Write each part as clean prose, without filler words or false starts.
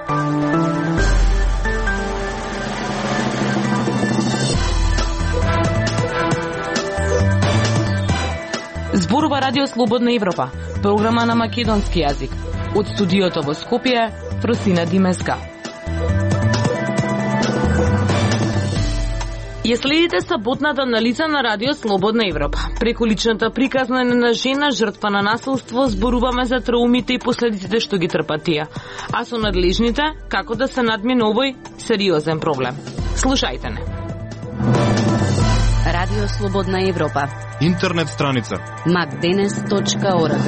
Зборува Радио Слободна Европа, програма на македонски јазик. Од студиото во Скопје, Фросина Димеска. Ја следите саботната анализа на Радио Слободна Европа. Преку личната приказна на жена жртва на насилство зборуваме за траумите и последиците што ги трпат тие, а со надлежните како да се надмине овој сериозен проблем. Слушајте не. Радио Слободна Европа. Интернет страница macdenes.org.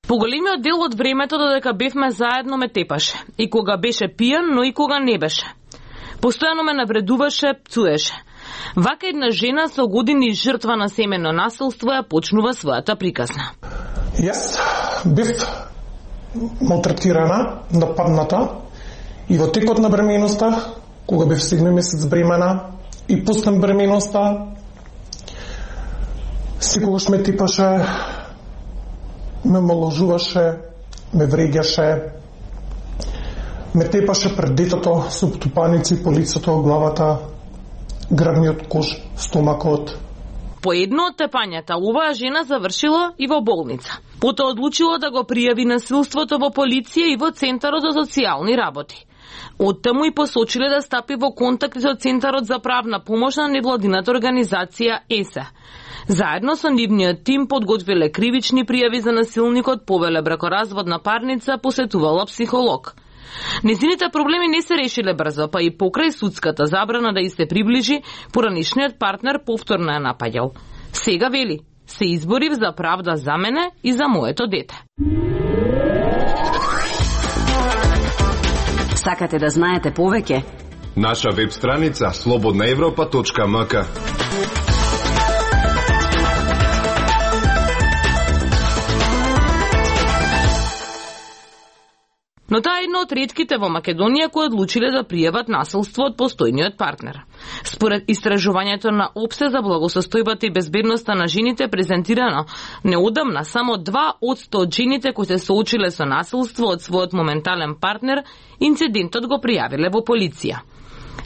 Поголемиот дел од времето додека бевме заедно ме тепаше. И кога беше пијан, но и кога не беше. Постојано ме навредуваше, пцуеше. Вака една жена со години жртва на семено насилство ја почнува својата приказна. Јас бев малтретирана, нападната и во текот на бременоста, кога бев 7 месец бремена и пуснем бременоста, секогаш ме типаше, ме моложуваше, ме вреѓаше, ме тепаше пред детето со птупаници по лицето, главата, грбниот кош, стомакот. По едно од тепањата, оваа жена завршила и во болница. Потоа одлучила да го пријави насилството во полиција и во Центарот за социјални работи. Оттаму и посочиле да стапи во контакт со Центарот за правна помош на невладината организација ЕСЕ. Заедно со нивниот тим подготвиле кривични пријави за насилникот, повеле бракоразводна парница, посетувала психолог. Незините проблеми не се решиле брзо, па и покрај судската забрана да и се приближи, поранишниот партнер повторно ја напаѓал. Сега вели, се изборив за правда за мене и за моето дете. Сакате да знаете повеќе? Наша веб страница slobodnaevropa.mk. Но таа е една од ретките во Македонија кои одлучиле да пријават насилство од постојниот партнер. Според истражувањето на ОПСЕ за благосостојбата и безбедноста на жените презентирано неодамна, само 2% од жените кои се соочиле со насилство од својот моментален партнер, инцидентот го пријавиле во полиција.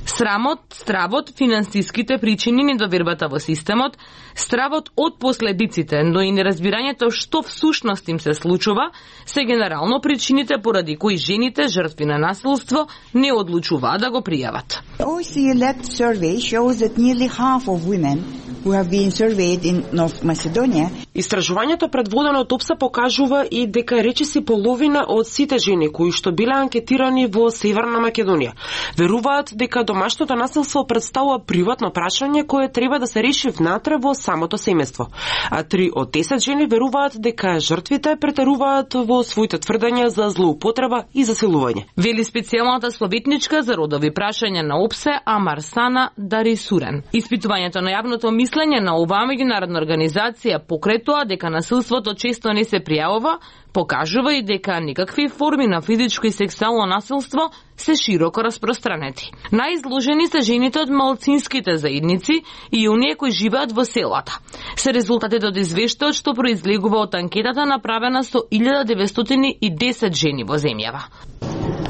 Срамот, стравот, финансиските причини, недовербата во системот, стравот од последиците, но и неразбирањето што всушност им се случува, се генерално причините поради кои жените жртви на насилство не одлучуваат да го пријават. OECD-led survey shows that nearly half of women who have been surveyed in North Macedonia. Истражувањето предводено од ОПСЕ покажува и дека речиси половина од сите жени кои што биле анкетирани во Северна Македонија веруваат дека домашното насилство представува приватно прашање кое треба да се реши внатре во самото семејство. А 3 од 10 жени веруваат дека жртвите претеруваат во своите тврдења за злоупотреба и засилување. Вели специјалната советничка за родови прашања на ОПСЕ Амарсана Дарисурен. Испитувањето на јавното мислење на оваа меѓународна организација покрај тоа дека насилството често не се пријавува, покажува и дека никакви форми на физичко и сексуално насилство се широко распространети. Најизложени се жените од малцинските заедници и оние кои живеат во селата. Се резултатите од извештајот што произлегува од анкетата направена со 1910 жени во земјава.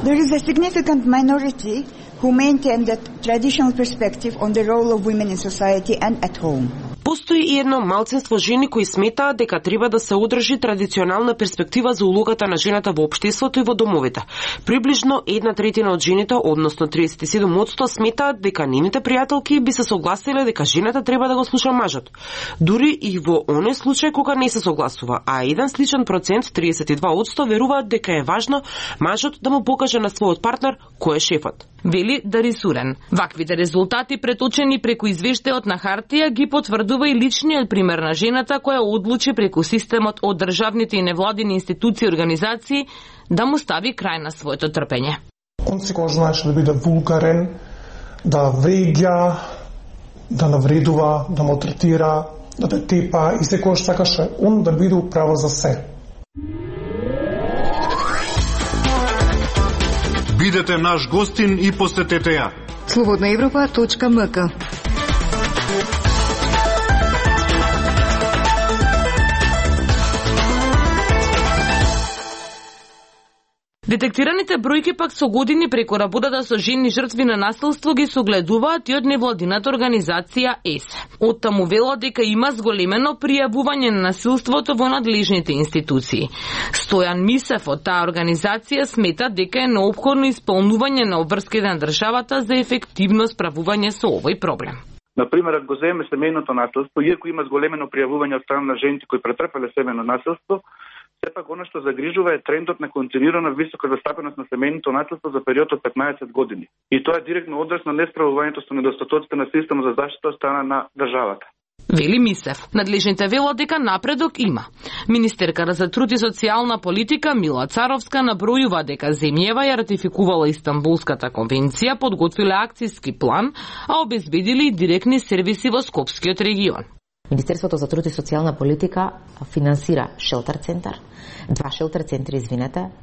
There is a significant minority who maintain that traditional perspective on the role of women in society and at home. Постои и едно малцинство жени кои сметаат дека треба да се одржи традиционална перспектива за улогата на жената во општеството и во домовите. Приближно 1/3 од жените, односно 37%, сметаат дека нивните пријателки би се согласиле дека жената треба да го слуша мажот. Дури и во оној случај кога не се согласува, а еден сличен процент, 32%, веруваат дека е важно мажот да му покаже на својот партнер кој е шефот. Вели Дарисурен. Ваквите резултати преточени преку извештајот на хартија ги потврдува и личниот пример на жената која одлучи преку системот од државните и невладини институции и организации да му стави крај на своето трпење. Он секогаш знаеше да биде вулгарен, да вреѓа, да навредува, да малтретира, да те тепа и секогаш сакаше он да биде управа за се. Бидете наш гостин и посетете ја. slobodnaevropa.mk. Детектираните бројки пак со години преку работата со жени жртви на насилство ги согледуваат и од невладината организација ЕСЕ. Оттаму велат дека има зголемено пријавување на насилството во надлежните институции. Стојан Мисев од таа организација смета дека е неопходно исполнување на обврските на државата за ефективно справување со овој проблем. Например, ако го земеме семејното насилство, иако има зголемено пријавување од страна на жените кои претрпеле семејно насилство, сепак она што загрижува е трендот на континуирана висока застапеност на семејното насилство за период од 15 години. И тоа е директно одраз на несправувањето со недостатоците на системот за заштита од страна на државата. Вели Мисев. Надлежните велат дека напредок има. Министерката за труд и социјална политика Мила Царовска набројува дека земјава ја ратификувала Истанбулската конвенција, подготвиле акцијски план, а обезбедили и директни сервиси во Скопскиот регион. Министерството за труд и социјална политика финансира шелтер центар, 2 шелтер центри,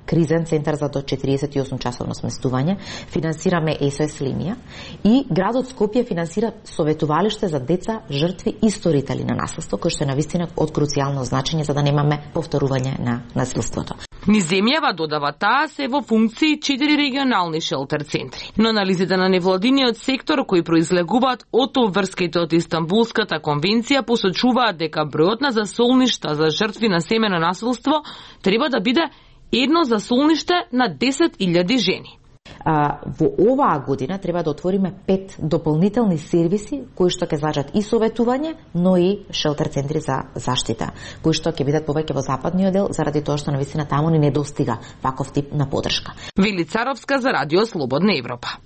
кризен центар за до 48 часовно сместување, финансираме СОС линија и градот Скопје финансира советувалиште за деца, жртви и сторители на насилство, кој што е навистина од круцијално значење за да немаме повторување на насилството. Низ земјава, додава таа, се во функции 4 регионални шелтер центри. Но анализите на невладиниот сектор кои произлегуваат од обврските од Истанбулската конвенција посочуваат дека бројот на засолништа за жртви на семејно насилство треба да биде едно засолниште на 10.000 жени. Во оваа година треба да отвориме 5 дополнителни сервиси кои што ќе значат и советување, но и шелтер центри за заштита, кои што ќе бидат повеќе во западниот дел заради тоа што навистина таму ни недостига ваков тип на подршка. Вели Царовска за Радио Слободна Европа.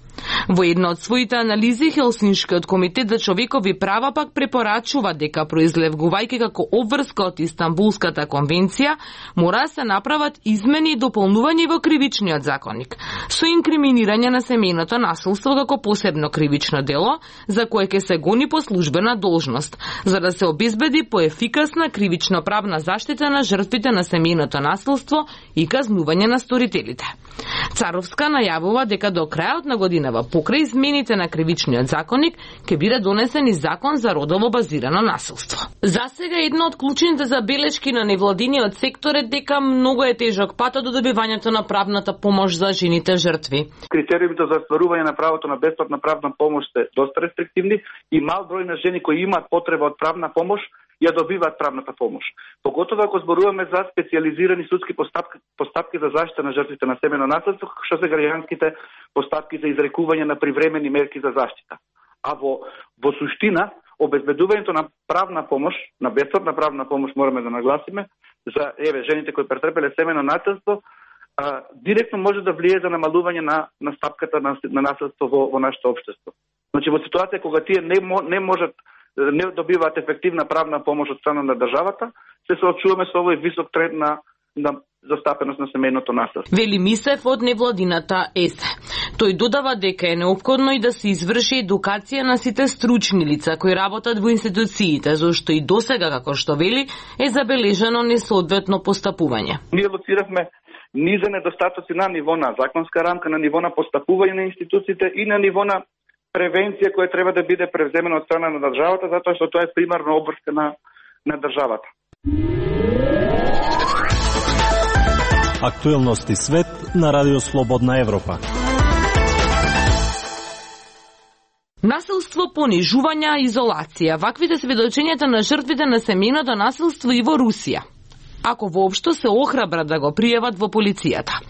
Во една од своите анализи Хелсиншкиот комитет за човекови права пак препорачува дека произлегувајќи како обврска од Истанбулската конвенција мора да се направат измени и дополнувања во кривичниот законник со инкриминирање на семејното насилство како посебно кривично дело за кое ќе се гони по службена должност, за да се обезбеди поефикасна кривично правна заштита на жртвите на семејното насилство и казнување на сторителите. Царовска најавува дека до крајот на годинава покрај измените на кривичниот законник ќе биде донесен и закон за родово базирано насилство. За сега една од клучните забелешки на невладиниот сектор е дека многу е тежок патот до добивањето на правната помош за жените жртви. Критериумите за остварување на правото на бесплатна правна помош се доста рестриктивни и мал број на жени кои имаат потреба од правна помош ја добиваат правната помош. Поготово ако зборуваме за специјализирани судски постапки за заштита на жртвите на семејно насилство, како што се граѓанските постапки за изрекување на привремени мерки за заштита. А во суштина, обезбедувањето на правна помош, на бесплатна правна помош, мораме да нагласиме, за жените кои претрпеле семејно насилство, директно може да влие за намалување на стапката на насилство во нашето општество. Значи, во ситуација кога тие не добиваат ефективна правна помош од страна на државата, се соочуваме со овој висок тренд на застапеност на семејното насилство. Вели Мисев од невладината ЕСЕ. Тој додава дека е неопходно и да се изврши едукација на сите стручни лица кои работат во институциите, зашто и досега, како што вели, е забележано несоодветно постапување. Ние лоциравме низа недостатоци на ниво на законска рамка, на ниво на постапување на институциите и на ниво на превенција која треба да биде превземена од страна на државата, затоа што тоа е примарна обврска на државата. Актуелности свет на Радио Слободна Европа. Насилство, понижување, изолација. Ваквите сведочењата на жртвите на семејното насилство и во Русија. Ако воопшто се охрабрат да го пријават во полицијата.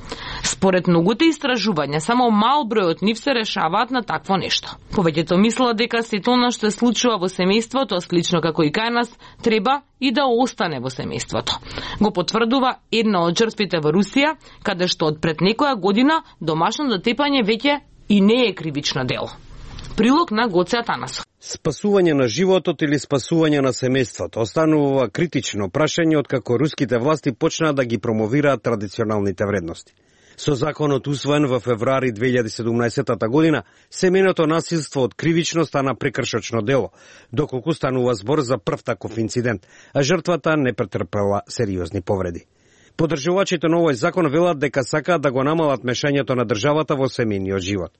Според многуте истражувања, само мал број од нив се решаваат на такво нешто. Повеќето мислат дека сето она што се случува во семејството, слично како и кај нас, треба и да остане во семејството. Го потврдува една од жртвите во Русија, каде што од пред некоја година домашно дотепање веќе и не е кривично дело. Прилог на Гоце Атанасов. Спасување на животот или спасување на семејството останува критично прашање откако руските власти почнаа да ги промовираат традиционалните вредности. Со законот усвоен во февруари 2017 година, семејното насилство од кривично стана прекршочно дело, доколку станува збор за прв таков инцидент, а жртвата не претрпела сериозни повреди. Поддржувачите на овој закон велат дека сакаат да го намалат мешањето на државата во семејниот живот.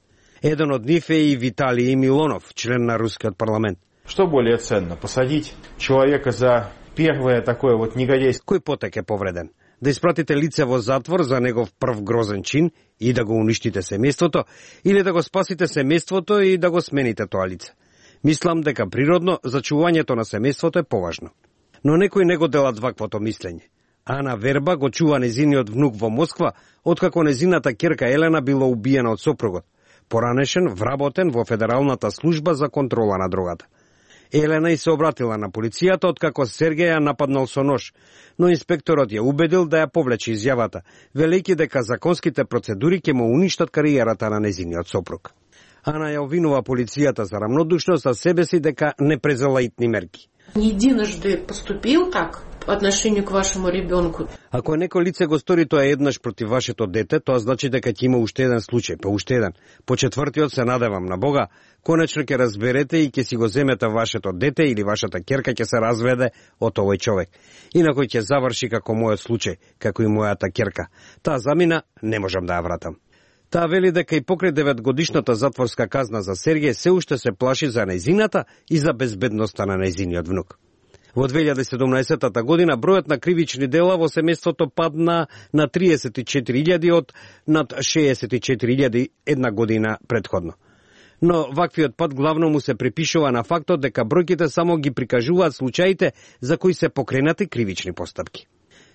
Еден од нив е и Виталий Милонов, член на рускиот парламент. Што более ценно, посадить человека за первое такое вот негодяйство? Кој потек е повреден? да испратите лице во затвор за негов прв грозен чин и да го уништите семејството, или да го спасите семејството и да го смените тоа лице. Мислам дека природно зачувањето на семејството е поважно. Но некои не го делат ваквото мислење. Ана Верба го чува незиниот внук во Москва, откако незината ќерка Елена било убиена од сопругот, поранешен, вработен во Федералната служба за контрола на дрогата. Елена и се обратила на полицијата откако Сергеј ја нападнал со нож, но инспекторот ја убедил да ја повлече изјавата, велејќи дека законските процедури ќе му уништат кариерата на незиниот сопруг. Ана ја обвинува полицијата за рамнодушност, а себе си дека не презела итни мерки. Единожды поступил так по отношению к вашему ребенку. Ако некој лице го стори тоа еднаш против вашето дете, тоа значи дека ќе има уште еден случај, па уште еден. По четвртиот се надевам на Бога, конечно ќе разберете и ќе си го земете вашето дете или вашата ќерка ќе се разведе од овој човек. Инако ќе заврши како мојот случај, како и мојата ќерка. Таа замина не можам да ја вратам. Таа вели дека и покрај 9-годишната затворска казна за Сергеј се уште се плаши за нејзината и за безбедноста на нејзиниот внук. Во 2017 година бројот на кривични дела во семејството падна на 34.000 од над 64.000 една година претходно. Но ваквиот пад главно му се припишува на фактот дека бројките само ги прикажуваат случаите за кои се покренати кривични постапки.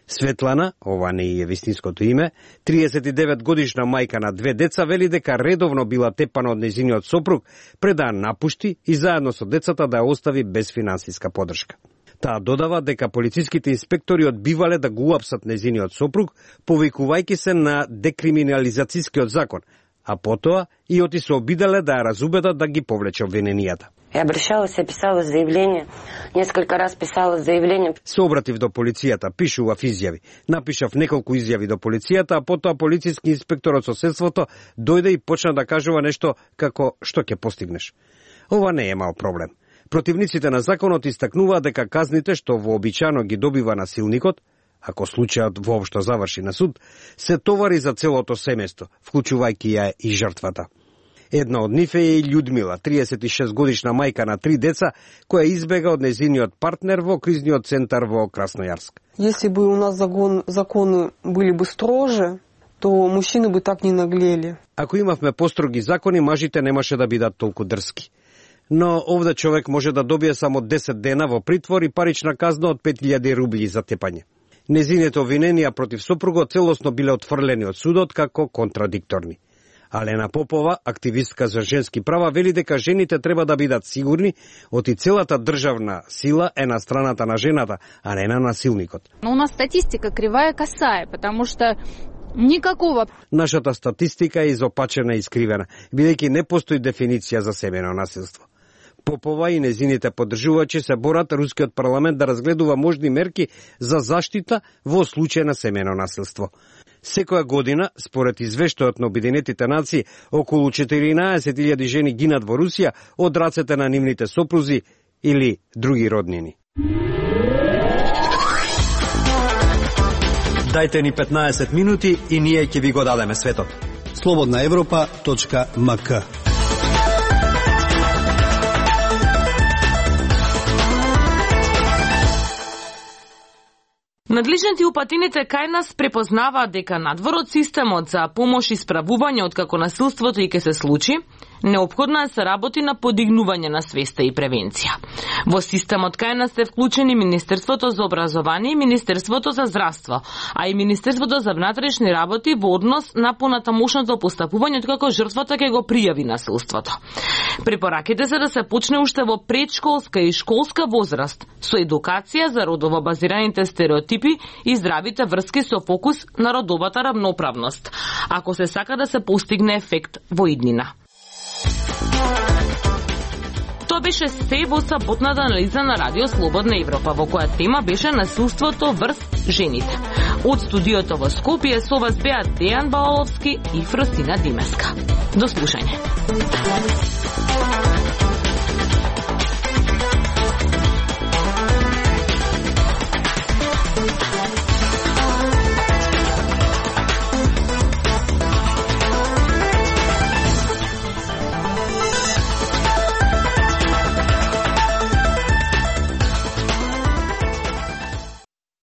Светлана, ова не е вистинското име, 39 годишна мајка на 2 деца, вели дека редовно била тепана од нејзиниот сопруг пред да ја напушти и заедно со децата да ја остави без финансиска подршка. Таа додава дека полициските инспектори одбивале да го уапсат нејзиниот сопруг, повикувајќи се на декриминализацијскиот закон, а потоа и оти се обиделе да ја разубедат да ги повлече обвиненијата. Я обращалась, я писала заявление, несколько раз писала заявление. Се обратив до полицијата, пишував изјави. Напишав неколку изјави до полицијата, а потоа полициски инспектор од соседството дојде и почна да кажува нешто како што ќе постигнеш. Ова не е мал проблем. Противниците на законот истакнуваат дека казните што вообичано ги добива насилникот, ако случајот воопшто заврши на суд, се товари за целото семејство, вклучувајќи ја и жртвата. Една од нив е и Људмила, 36 годишна мајка на 3 деца, која избега од нејзиниот партнер во кризниот центар во Краснојарск. Если бы у нас законы были бы строже, то мужчины бы так не наглели. Ако имавме построги закони, мажите немаше да бидат толку дрски. Но овде човек може да добие само 10 дена во притвор и парична казна од 5000 рубли за тепање. Незините обвиненија против сопругот целосно биле отфрлени од судот како контрадикторни. Алена Попова, активистка за женски права, вели дека жените треба да бидат сигурни оти целата државна сила е на страната на жената, а не на насилникот. Но у нас статистика кривая косая, потому что никакого. Нашата статистика е изопачена и искривена, бидејќи не постои дефиниција за семејно насилство. Попова и незините поддржувачи се борат рускиот парламент да разгледува можни мерки за заштита во случај на семејно насилство. Секоја година, според извештајот на Обединетите нации, околу 14.000 жени гинат во Русија од рацете на нивните сопрузи или други роднини. Дајте ни 15 минути и ние ќе ви го дадеме светот. slobodnaevropa.mk. Надлежните упатините кај нас препознаваат дека надвор од системот за помош и справување откако насилството и ке се случи, неопходно е се работи на подигнување на свеста и превенција. Во системот кај нас се вклучени Министерството за образование и Министерството за здравство, а и Министерството за внатрешни работи во однос на понатамошното постапување откако жртвата ќе го пријави насилството. Препораките се да се почне уште во предшколска и школска возраст со едукација за родово базираните стереотипи и здравите врски со фокус на родовата рамноправност, ако се сака да се постигне ефект во иднина. Тоа беше се во саботната анализа на Радио Слободна Европа, во која тема беше насилството врз жените. Од студиото во Скопје со вас беа Дејан Баоловски и Фросина Димеска. До слушање.